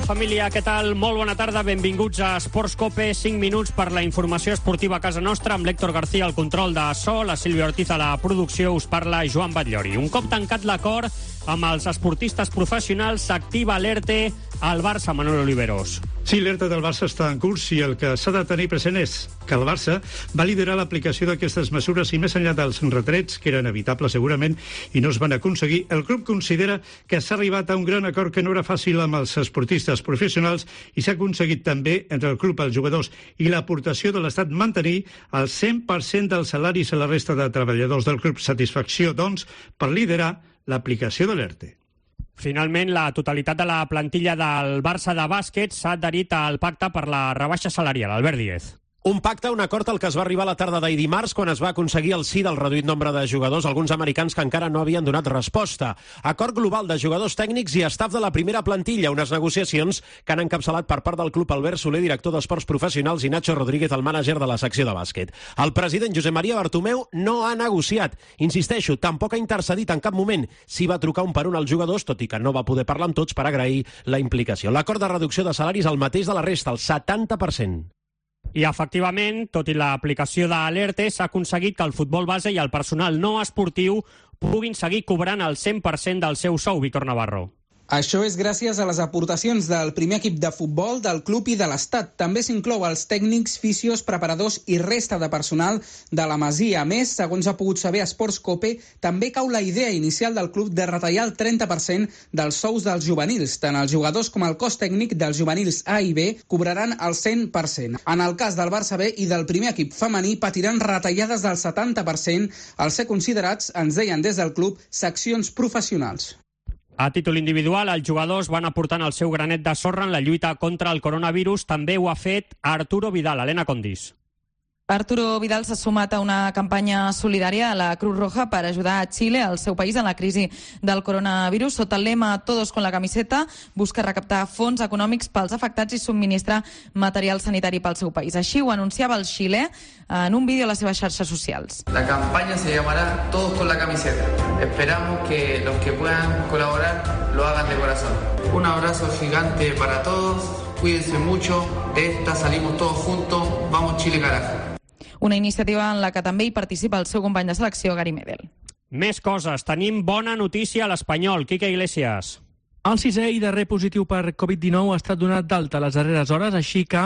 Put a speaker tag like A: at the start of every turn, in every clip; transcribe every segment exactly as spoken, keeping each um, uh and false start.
A: família, què tal? Molt bona tarda, benvinguts a Esports Cope, cinc minuts per la informació esportiva a casa nostra, amb l'Héctor García al control de so, la Sílvia Ortiz a la producció, us parla Joan Batllori. Un cop tancat l'acord amb els esportistes professionals, s'activa l'E R T E al Barça, Manuel Oliveros.
B: Sí, l'E R T E del Barça està en curs i el que s'ha de tenir present és que el Barça va liderar l'aplicació d'aquestes mesures i més enllà dels retrets, que eren evitables segurament i no es van aconseguir, el club considera que s'ha arribat a un gran acord que no era fàcil amb els esportistes professionals i s'ha aconseguit també entre el club, els jugadors i l'aportació de l'Estat mantenir el cent per cent dels salaris a la resta de treballadors del club. Satisfacció, doncs, per liderar l'aplicació de l'E R T E.
A: Finalment, la totalitat de la plantilla del Barça de bàsquet s'ha adherit al pacte per la rebaixa salarial. Albert Díez.
C: Un pacte, un acord al que es va arribar la tarda d'ahir dimarts quan es va aconseguir el sí del reduït nombre de jugadors, alguns americans que encara no havien donat resposta. Acord global de jugadors tècnics i estaf de la primera plantilla, unes negociacions que han encapçalat per part del club Albert Soler, director d'Esports Professionals, i Nacho Rodríguez, el mànager de la secció de bàsquet. El president Josep Maria Bartomeu no ha negociat. Insisteixo, tampoc ha intercedit en cap moment. Sí va trucar un per un als jugadors, tot i que no va poder parlar amb tots per agrair la implicació. L'acord de reducció de salaris el mateix de la resta, el setanta per cent.
A: I, efectivament, tot i l'aplicació de l'E R T E, s'ha aconseguit que el futbol base i el personal no esportiu puguin seguir cobrant el cent per cent del seu sou, Víctor Navarro.
D: Això és gràcies a les aportacions del primer equip de futbol, del club i de l'Estat. També s'inclou els tècnics, fisios, preparadors i resta de personal de la Masia. A més, segons ha pogut saber Esports Cope, també cau la idea inicial del club de retallar el trenta per cent dels sous dels juvenils. Tant els jugadors com el cos tècnic dels juvenils A i B cobraran el cent per cent. En el cas del Barça B i del primer equip femení patiran retallades del setanta per cent al ser considerats, ens deien des del club, seccions professionals.
A: A títol individual, els jugadors van aportant el seu granet de sorra en la lluita contra el coronavirus. També ho ha fet Arturo Vidal. Helena Condis.
E: Arturo Vidal s'ha sumat a una campanya solidària a la Cruz Roja per ajudar a Xile, el seu país, en la crisi del coronavirus. Sota el lema Todos con la camiseta, busca recaptar fons econòmics pels afectats i subministrar material sanitari pel seu país. Així ho anunciava el xilè en un vídeo a les seves xarxes socials.
F: La campaña se llamará Todos con la camiseta. Esperamos que los que puedan colaborar lo hagan de corazón. Un abrazo gigante para todos. Cuídense mucho. De esta salimos todos juntos. Vamos Chile, carajo.
E: Una iniciativa en la que també hi participa el seu company de selecció, Gary Medel.
A: Més coses. Tenim bona notícia a l'Espanyol. Quique Iglesias.
G: El sisè i darrer positiu per covid dinou ha estat donat d'alta les darreres hores, així que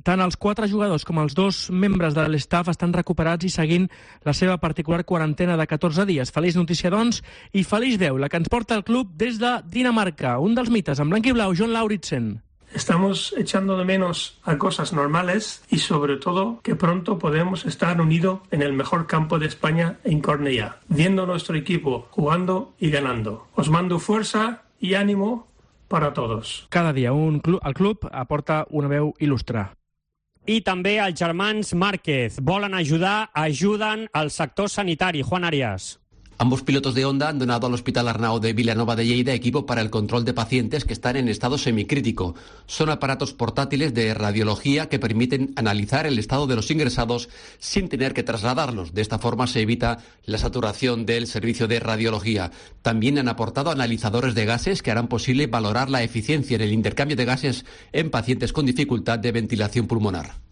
G: tant els quatre jugadors com els dos membres de l'estaf estan recuperats i seguint la seva particular quarantena de catorze dies. Feliç notícia, doncs, i feliç veu la que ens porta el club des de Dinamarca. Un dels mites, en blanc i blau, John Lauritsen.
H: Estamos echando de menos a cosas normales y sobre todo que pronto podemos estar unidos en el mejor campo de España en Cornellà, viendo nuestro equipo jugando y ganando. Os mando fuerza y ánimo para todos.
G: Cada dia un club, el club aporta una veu il·lustre.
A: I també els germans Márquez volen ajudar, ajuden al sector sanitari. Juan Arias.
I: Ambos pilotos de Honda han donado al Hospital Arnau de Vilanova de Lleida equipo para el control de pacientes que están en estado semicrítico. Son aparatos portátiles de radiología que permiten analizar el estado de los ingresados sin tener que trasladarlos. De esta forma se evita la saturación del servicio de radiología. También han aportado analizadores de gases que harán posible valorar la eficiencia en el intercambio de gases en pacientes con dificultad de ventilación pulmonar.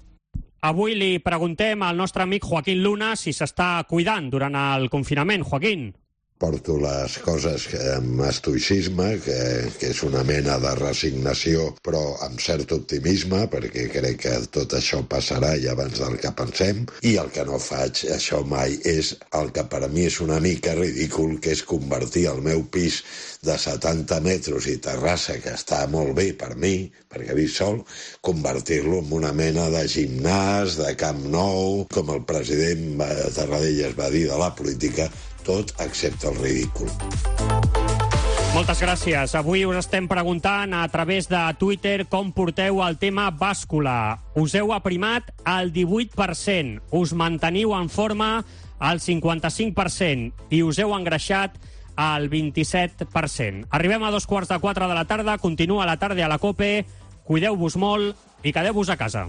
A: Avui li preguntem al nostre amic Joaquín Luna si s'està cuidant durant el confinament. Joaquín.
J: Porto les coses amb estoicisme, que, que és una mena de resignació, però amb cert optimisme, perquè crec que tot això passarà i abans del que pensem, i el que no faig, això mai, és el que per a mi és una mica ridícul, que és convertir el meu pis de setanta metres i terrassa, que està molt bé per mi, perquè visc sol, convertir-lo en una mena de gimnàs, de Camp Nou, com el president Tarradellas va dir de la política, tot excepte el ridícul.
A: Moltes gràcies. Avui us estem preguntant a través de Twitter com porteu el tema bàscula. Us heu aprimat al divuit per cent, us manteniu en forma al cinquanta-cinc per cent i us heu engreixat al vint-i-set per cent. Arribem a dos quarts de quatre de la tarda, continua la tarda a la COPE, cuideu-vos molt i quedeu-vos a casa.